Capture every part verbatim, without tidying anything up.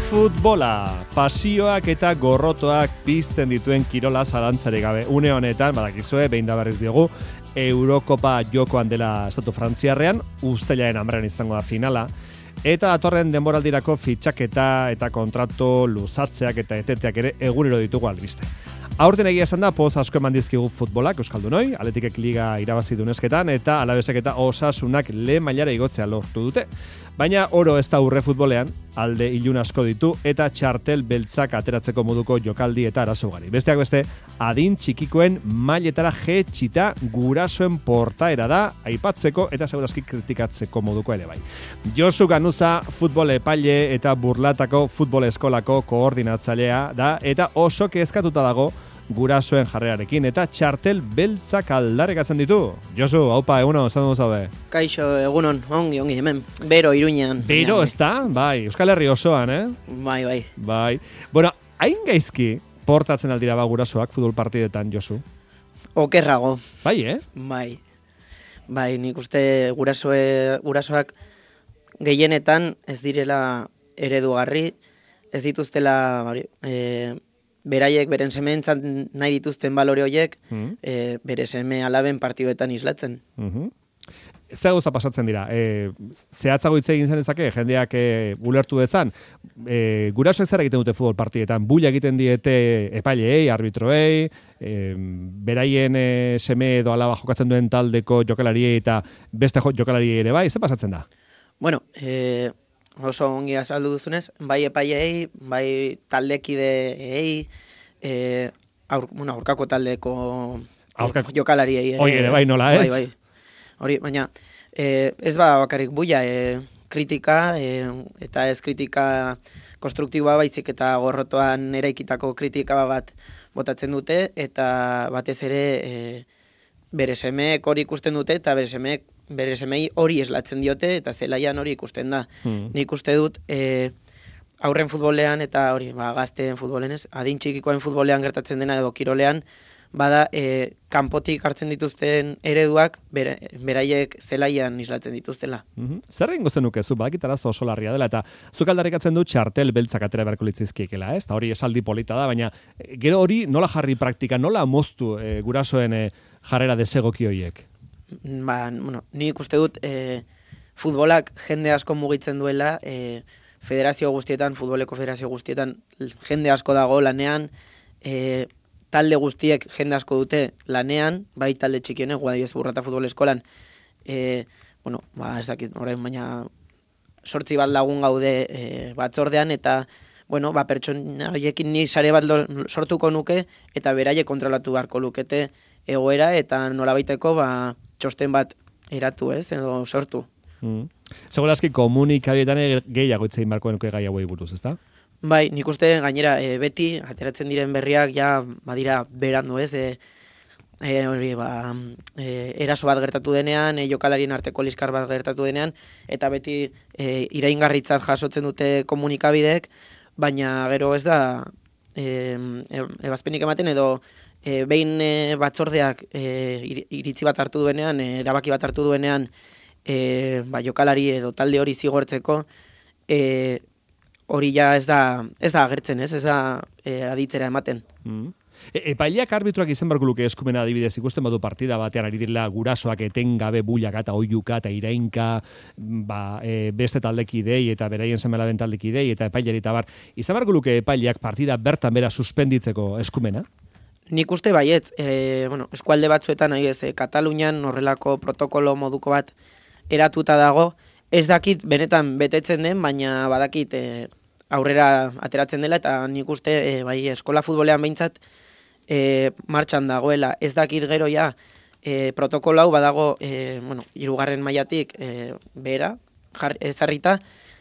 Futbola, pasioak eta gorrotoak pizten dituen kirola zalantzari gabe. Une honetan, badakizue, behin da berriz diogu, Eurokopa jokoan dela estatu frantziarrean, uztailaren hamaren izango da finala, eta datorren denboraldirako fitxaketa eta kontratu luzatzeak eta eteteak ere egunero ditugu albiste. Aurten egia esan da, poz asko eman dizkigu futbolak, Euskaldunoi, Atletikek liga irabazi dunesketan, eta Alavesek eta Osasunak lehen mailara igotzea lortu dute. Baina oro ez da urre futbolean, alde ilun asko ditu, eta txartel beltzak ateratzeko moduko jokaldi eta arazo ugari. Besteak beste, adin txikikoen mailetara jetxita gurasoen portaera da, aipatzeko eta segurazki kritikatzeko moduko ere bai. Josu Ganuza, futbol epaile eta burlatako futbol eskolako koordinatzailea da, eta oso kezkatuta dago gurasoen jarrerarekin eta txartel beltzak aldarrekatzen ditu. Josu, haupa, egunon, zan dugu zaude? Kaixo, egunon, ongi, ongi, hemen, bero, Iruñean. Bero, ez da? Bai, Euskal Herri osoan, eh? Bai, bai. Bai. Bueno, hain gaizki portatzen aldira ba gurasoak futbol partidetan, Josu? Okerrago. Bai, eh? Bai. Bai, nik uste gurasoe, gurasoak gehienetan ez direla eredugarri, ez dituztela, bari, eh, beraiek beren sementzat nahi dituzten balore horiek, mm. e, bere seme alaben partiduetan islatzen. Mm-hmm. Ez da gauza pasatzen dira. E, zehatzago hitz egin zenezake, jendeak e, ulertu dezan, e, gurasoek zer egiten dute futbol partidetan, bulla egiten diete epaileei, arbitroei, e, beraien e, seme edo alaba jokatzen duen taldeko jokalariei eta beste jokalariei ere bai, zer pasatzen da? Bueno, e, oso ongi azaldu duzunez, bai epaileei, bai taldekideei, e, aur, bueno, aurkako taldeko aurkako jokalariei ere. Hoi ere, bai nola ez? Bai, bai. Hori, baina e, ez ba bakarrik buia, e, kritika, e, eta ez kritika konstruktiboa baizik eta gorrotoan eraikitako kritika bat botatzen dute, eta batez ere e, bere semeek hori ikusten dute, eta bere semeek bere semei hori eslatzen diote, eta zelaian hori ikusten da. Hmm. Nik uste dut, e, aurren futbolean eta hori, ba, gazteen futbolen ez, adin txikikoen futbolean gertatzen dena edo kirolean, bada, e, kanpotik hartzen dituzten ereduak, bere, beraiek zelaian islatzen dituztela. Mm-hmm. Zer egingo zenuke zu, badakit arazo oso larria dela, eta zuk aldarrikatzen du txartel beltzak atera beharko litzizkiekela, ez? Eta hori esaldi polita da, baina gero hori nola jarri praktika, nola moztu e, gurasoen e, jarrera desegoki horiek? Ba, bueno, nik uste dut e, futbolak jende asko mugitzen duela, e, federazio guztietan, futboleko federazio guztietan jende asko dago lanean, e, talde guztiek jende asko dute lanean, bai talde txikienek, Guadalez Burrata futbol eskolan, e, bueno, ba, ez dakit, orain baina sortzi bat lagun gaude e, batzordean, eta bueno, ba, pertsona horiekin ni sare bat sortuko nuke, eta beraiek kontrolatu beharko lukete egoera, eta nolabaiteko, ba, txosten bat eratu ez, edo sortu. Mm. Segurazki komunikabietan gehiago itzein barko nuke gai hauei buruz, ezta? Bai, nik uste gainera e, beti ateratzen diren berriak ja badira berandu ez, e, e, hori, ba, e, eraso bat gertatu denean, e, jokalarien arteko liskar bat gertatu denean, eta beti e, iraingarritzat jasotzen dute komunikabideek, baina gero ez da e, e, ebazpenik ematen edo E, behin e, batzordeak e, iritzi bat hartu duenean, e, erabaki bat hartu duenean, e, ba, jokalari edo talde hori zigortzeko, e, hori ja ez da, ez da agertzen, ez, ez da e, aditzera ematen. Mm. E, epaileak arbitroak izan barko luke eskumena adibidez ikusten badu partida batean ari direla gurasoak etengabe bullaka eta oiuka eta irainka ba, e, beste taldekidei eta beraien semelaben taldekidei eta epaileri eta bar. Izan barko luke epaileak partida bertan bera suspenditzeko eskumena? Nik uste baiet, e, bueno, eskualde batzuetan, nahi ez, e, Katalunian horrelako protokolo moduko bat eratuta dago, ez dakit benetan betetzen den, baina badakit e, aurrera ateratzen dela, eta nik uste e, bai, eskola futbolean behintzat e, martxan dagoela. Ez dakit gero ja, e, protokolo hau badago, e, bueno, hirugarren mailatik e, behera, ezarrita,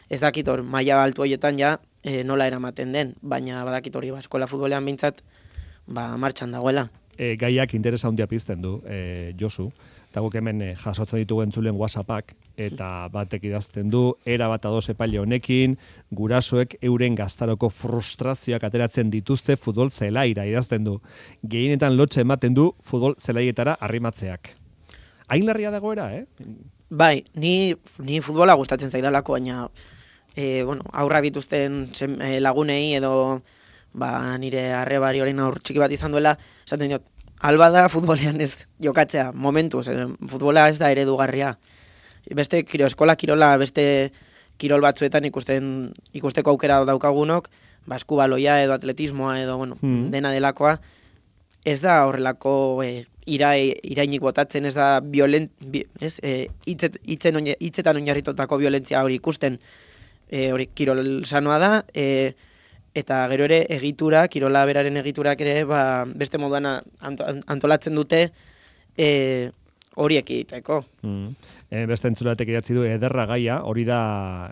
ez dakit hor, maila altu horietan ja e, nola eramaten den, baina badakit hori, ba, eskola futbolean behintzat, ba, martxan dagoela. E, gaiak interesa handia pizten du, e, Josu, eta guk hemen e, jasotzen ditugu entzulen WhatsAppak, eta batek idazten du, era bat ados epaile honekin, gurasoek euren gaztaroko frustrazioak ateratzen dituzte futbol zelaira idazten du. Gehienetan lotxe ematen du futbol zelaietara arrimatzeak. Hain larria dagoera, eh? Bai, ni, ni futbola gustatzen zaidalako, baina e, bueno, aurrak dituzten sem, e, lagunei edo ba, nire arrebari orain aur txiki bat izan duela, esaten diot, alba da futbolean ez jokatzea, momentuz, e, futbola ez da eredugarria. Beste kiro, eskola kirola, beste kirol batzuetan ikusten ikusteko aukera daukagunok, ba, eskubaloia edo atletismoa edo, bueno, mm. dena delakoa, ez da horrelako e, irai, irainik botatzen, ez da violent, bi, ez, e, hitzet, hitzen oine, hitzetan oinarritutako violentzia hori ikusten, e, hori kirol sanoa da, e, eta gero ere egitura, kirola beraren egiturak ere, ba, beste moduan antolatzen dute, e, horiek egiteko. Mm. E, beste entzulatek idatzi du ederra gaia, hori da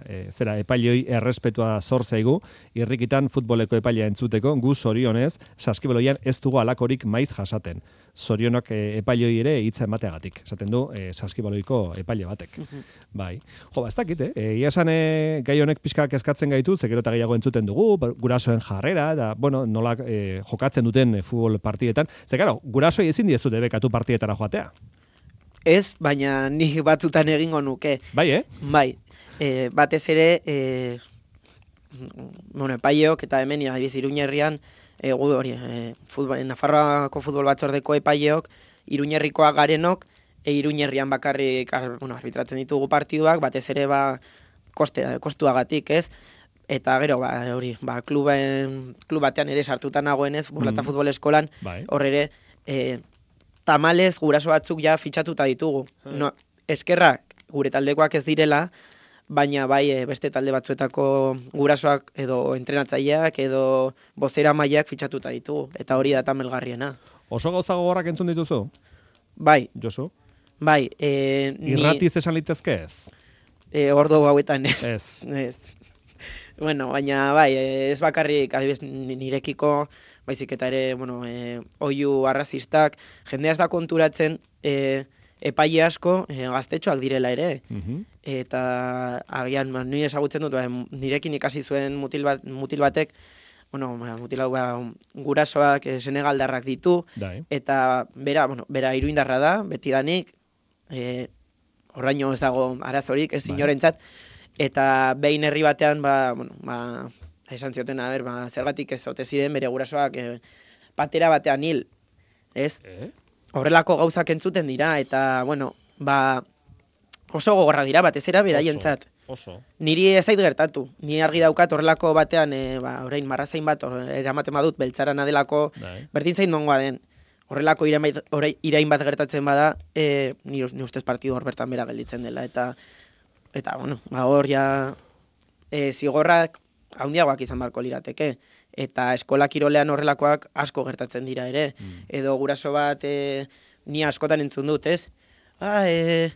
e, zera epailoi errespetua zor zaigu, irrikitan futboleko epailea entzuteko, gu zorionez, saskibaloian ez dugu alakorik maiz jasaten. Zorionok e, epailoi ere hitza emateagatik, esaten du e, saskibaloiko epaile batek. Uh-huh. Bai. Jo, ba, ez dakit, eh? Ia esan e, gai honek pixka kezkatzen gaitu, zekero eta gehiago entzuten dugu, gurasoen jarrera, da, bueno, nola e, jokatzen duten e, futbol partietan. Ze, claro, gurasoi ezin diezu debekatu partietara joatea. Ez, baina ni batzutan egingo nuke. Bai, eh? Bai. E, batez ere, e, bueno, epaileok eta hemen adibiz Iruñerrian, e, gu hori, e, futbol, Nafarroako futbol batzordeko epaileok, Iruñerrikoa garenok, e Iruñerrian bakarrik, bueno, arbitratzen ditugu partiduak, batez ere ba koste, kostuagatik, ez? Eta gero, ba, hori, ba, kluben, klub batean ere sartuta nagoenez, Burlata mm. futbol eskolan, bai. Hor ere, e, tamalez guraso batzuk ja fitxatuta ditugu. No, eskerrak gure taldekoak ez direla, baina bai beste talde batzuetako gurasoak edo entrenatzaileak edo bozera mailak fitxatuta ditugu. Eta hori da tamelgarriena. Oso gauza gogorrak entzun dituzu? Bai. Josu? Bai. E, Irratiz esan litezke ez? E, ordo hauetan ez. Ez. Ez. Bueno, baina bai, ez bakarrik adibidez nirekiko, baizik eta ere, bueno, e, oihu arrazistak, jendea ez da konturatzen e, epaile asko e, gaztetxoak direla ere. Uh-huh. Eta agian, ba, nire ezagutzen dut, ba, nirekin ikasi zuen mutil, bat, mutil batek, bueno, mutil hau ba, gurasoak e, senegaldarrak ditu, Dai. Eta bera, bueno, bera iruindarra da, betidanik, e, horraino ez dago arazorik, ez inorentzat, eta behin herri batean, ba, bueno, ba, esan zioten, a ber, ba, zergatik ez ote ziren bere gurasoak e, patera batean hil, ez? Eh? Horrelako gauzak entzuten dira, eta, bueno, ba, oso gogorra dira, batez era beraientzat. Oso. Niri ez zait gertatu, ni argi daukat horrelako batean, e, ba, orain marrazain bat, eramaten badut, beltzarana delako, Dai. Berdin zain dongoa den. Horrelako irain, irain bat gertatzen bada, e, ni, ni ustez partidu hor bertan bera gelditzen dela, eta Eta, bueno, ba, hor ja e, zigorrak handiagoak izan barko lirateke. Eta eskola kirolean horrelakoak asko gertatzen dira ere. Mm. Edo guraso bat e, ni askotan entzun dut, ez? Ba, e,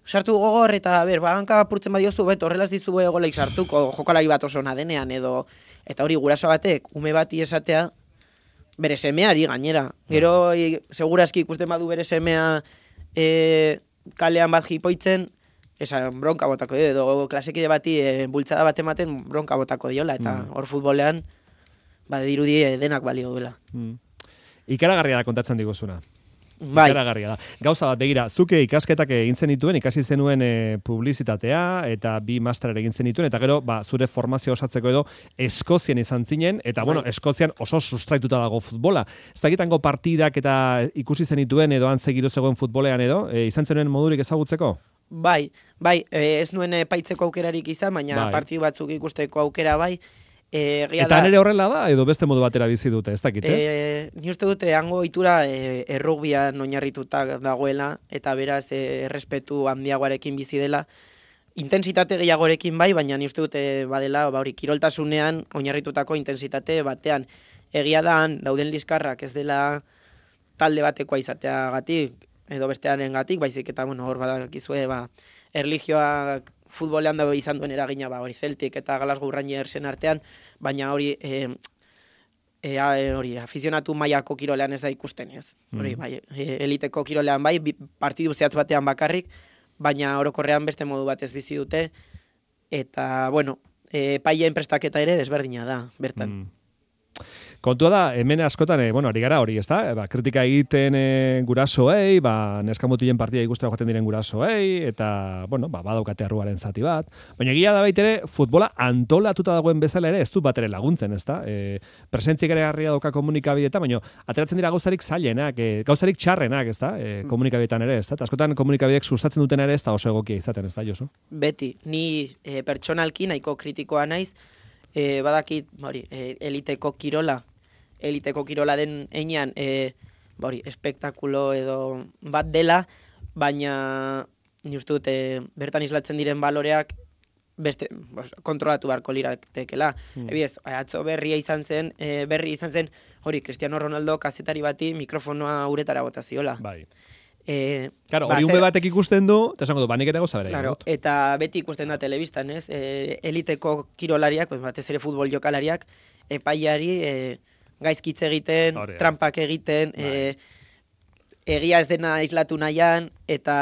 sartu gogor eta, ber, ba, hanka apurtzen badiozu, bet, horrelaz dizu egoleik sartuko, jokalari bat oso nadenean, edo, eta hori guraso batek, ume bati esatea, bere semeari gainera. Gero, e, segurazki ikusten badu bere semea e, kalean bat jipoitzen, esan bronka botako edo klasekide bati e, bultzada bat ematen bronka botako diola, eta hor mm. futbolean ba, dirudi denak balio duela. Mm. Ikaragarria da kontatzen diguzuna. Bai. Ikaragarria da. Gauza bat, begira, zuke ikasketak egin zenituen, ikasi zenuen e, publizitatea, eta bi master egin zenituen, eta gero, ba, zure formazio osatzeko edo Eskozian izan zinen, eta, bai. Bueno, Eskozian oso sustraituta dago futbola. Ez dakitango partidak eta ikusi zenituen edo han segiru zegoen futbolean edo, e, izan zenuen modurik ezagutzeko? Bai, bai, e, ez nuen epaitzeko aukerarik izan, baina bai. Partidu batzuk ikusteko aukera bai. E, eta nire horrela da, edo beste modu batera bizi dute, ez dakit, eh? E, ni uste dute, hango itura e, errugbian oinarrituta dagoela, eta beraz e, errespetu handiagoarekin bizi dela. Intensitate gehiagorekin bai, baina ni uste dute badela, ba, hori, kiroltasunean oinarritutako intensitate batean. Egia da, dauden liskarrak ez dela talde batekoa izateagatik, edo bestearen gatik, baizik eta, bueno, hor badakizue, ba, erlijioa futbolean da izan duen eragina, ba, hori Celtic eta Glasgow Rangersen artean, baina hori, e, e, hori, afizionatu mailako kirolean ez da ikusten, ez? Hori, bai, eliteko kirolean bai, partidu zehatz batean bakarrik, baina orokorrean beste modu batez bizi dute, eta, bueno, e, paileen prestaketa ere desberdina da, bertan. Mm. Kontua da, hemen askotan, e, bueno, ari gara hori, ezta? E, ba, kritika egiten e, gurasoei, ba, neskamutilen partida ikustera joaten diren gurasoei, eta, bueno, ba, badaukate arruaren zati bat. Baina egia da baitere, futbola antolatuta dagoen bezala ere, ez du bat ere laguntzen, ezta? E, presentzik ere garria dauka komunikabideta, baina ateratzen dira gauzarik zailenak, e, gauzarik txarrenak, ezta? E, komunikabidetan ere, ezta? Askotan komunikabidek sustatzen duten ere, ez da oso egokia izaten, ezta, Josu? Beti, ni e, pertsonalki nahiko kritikoa naiz, e, badakit, hori, e, eliteko kirola, eliteko kirola den einean, e, hori, espektakulo edo bat dela, baina ni uste dut, e, bertan islatzen diren baloreak beste, bos, kontrolatu beharko liratekela. Hmm. Ebiez, atzo berria izan zen, e, berri izan zen, hori, Cristiano Ronaldo kazetari bati mikrofonoa uretara bota ziola. Bai. E, claro, hori ume batek ikusten du, eta esango du, banik ere goza bera. Claro, eta beti ikusten da telebistan, ez? E, eliteko kirolariak, pues, batez ere futbol jokalariak, epaiari e, gaizkitze egiten, Hore, trampak egiten, e, egia ez dena islatu nahian, eta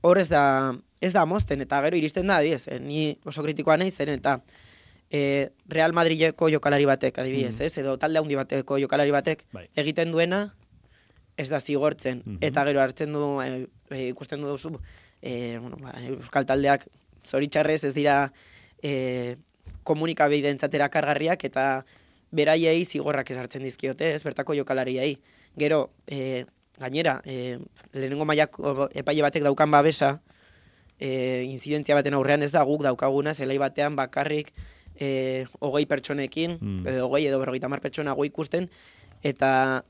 hor ez da, ez da mozten, eta gero iristen da, adibidez, e, ni oso kritikoa nahi zen, eta e, Real Madrideko jokalari batek, adibidez, mm. ez? Edo talde handi bateko jokalari batek, bai. Egiten duena, ez da zigortzen, mm-hmm. eta gero hartzen du, e, e, ikusten du duzu, e, bueno, ba, euskal taldeak zoritxarrez ez dira e, komunikabidentzatera kargarriak, eta beraiei zigorrak esartzen dizkiote, ez, bertako jokalariei. Gero, e, gainera, e, lehenengo mailako epaile batek daukan babesa, e, inzidentzia baten aurrean ez da guk daukaguna, zelai batean bakarrik e, hogei pertsonekin, mm. edo hogei edo berrogeita hamar pertsona go ikusten, eta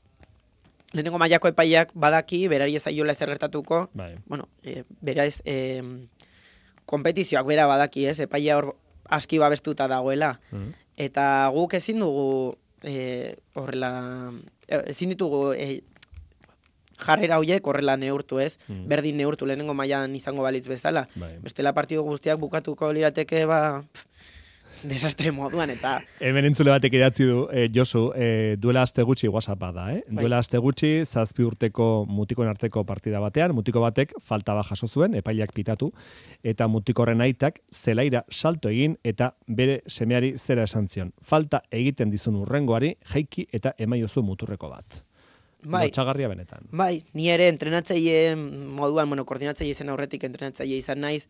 lehenengo mailako epaileak badaki, berari ez aiola ezer gertatuko, bai. Bueno, e, bera ez, e, kompetizioak bera badaki, ez, epailea hor aski babestuta dagoela, mm. eta guk ezin dugu e, horrela, ezin ditugu e, jarrera horiek horrela neurtu, ez, mm. berdin neurtu lehenengo mailan izango balitz bezala, bai. Bestela partido guztiak bukatuko lirateke, ba, pff, desastre moduan, eta... Hemen entzule batek idatzi du, eh, Josu, eh, duela aste gutxi WhatsAppa da, eh? Bai. Duela aste gutxi, zazpi urteko mutikoen arteko partida batean, mutiko batek falta bat jaso zuen, epaileak pitatu, eta mutikorren aitak zelaira salto egin, eta bere semeari zera esan zion. Falta egiten dizun urrengoari, jaiki eta emaiozu muturreko bat. Bai. Lotxagarria benetan. Bai, ni ere entrenatzaile moduan, bueno, koordinatzaile izen aurretik entrenatzaile izan naiz,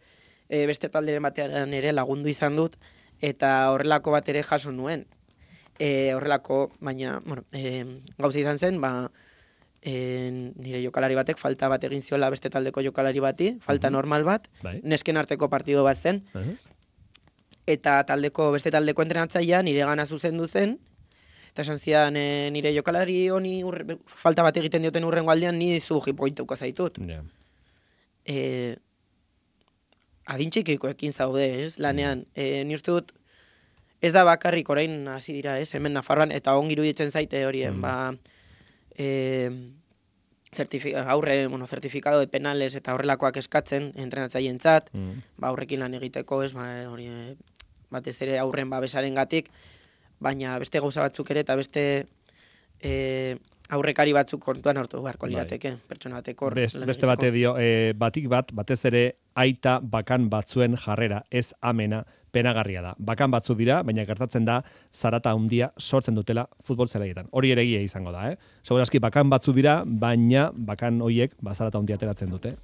e, beste talderen batean ere lagundu izan dut, eta horrelako bat ere jaso nuen. E, horrelako, baina, bueno, e, gauza izan zen, ba, e, nire jokalari batek falta bat egin ziola beste taldeko jokalari bati, falta uh-huh. normal bat, bai. Nesken arteko partido bat zen, uh-huh. eta taldeko beste taldeko entrenatzailea nire gana zuzendu zen, eta esan zidan e, nire jokalari honi urre, falta bat egiten dioten urrengo aldean ni zu jipoituko zaitut. Yeah. E, adintxikikoekin zaude, ez, lanean. E, ni uste dut, ez da bakarrik orain hasi dira, ez, hemen Nafarroan, eta ongi iruditzen zaite horien, mm. ba, e, certifi- aurre, bueno, certificado de penales eta horrelakoak eskatzen, entrenatzaileentzat, mm. ba, aurrekin lan egiteko, ez, ba, hori, batez ere aurren babesaren gatik, baina beste gauza batzuk ere, eta beste e, aurrekari batzuk kontuan hartu beharko lirateke, bai. Pertsona bateko. Best, beste bate dio, e, batik bat, batez ere aita bakan batzuen jarrera, ez amena, penagarria da. Bakan batzu dira, baina gertatzen da zarata handia sortzen dutela futbol zelaietan. Hori ere egia izango da, eh? Segurazki bakan batzu dira, baina bakan hoiek ba, zarata handia ateratzen dute.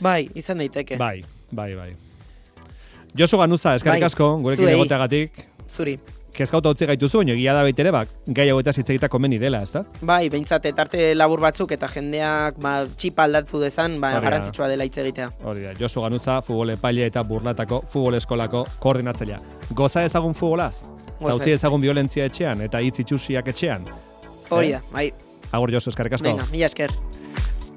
Bai, izan daiteke. Bai, bai, bai. Josu Ganuza, eskerrik asko, bai, gurekin egoteagatik. Zuri. Kezkauta utzi gaituzu, baina egia da baitere, bak, gai hauetaz hitz egita komeni dela, ezta? Bai, behintzat, etarte labur batzuk eta jendeak ba, txipa aldatu dezan, ba, garrantzitsua dela hitz egitea. Hori da, Josu Ganuza, futbol epaile eta burlatako futbol eskolako koordinatzailea. Goza ezagun futbolaz? Goza. Utzi ezagun violentzia etxean eta hitz itxusiak etxean? Hori da, eh? Bai. Agur Josu, eskerrik asko. Venga, mila esker.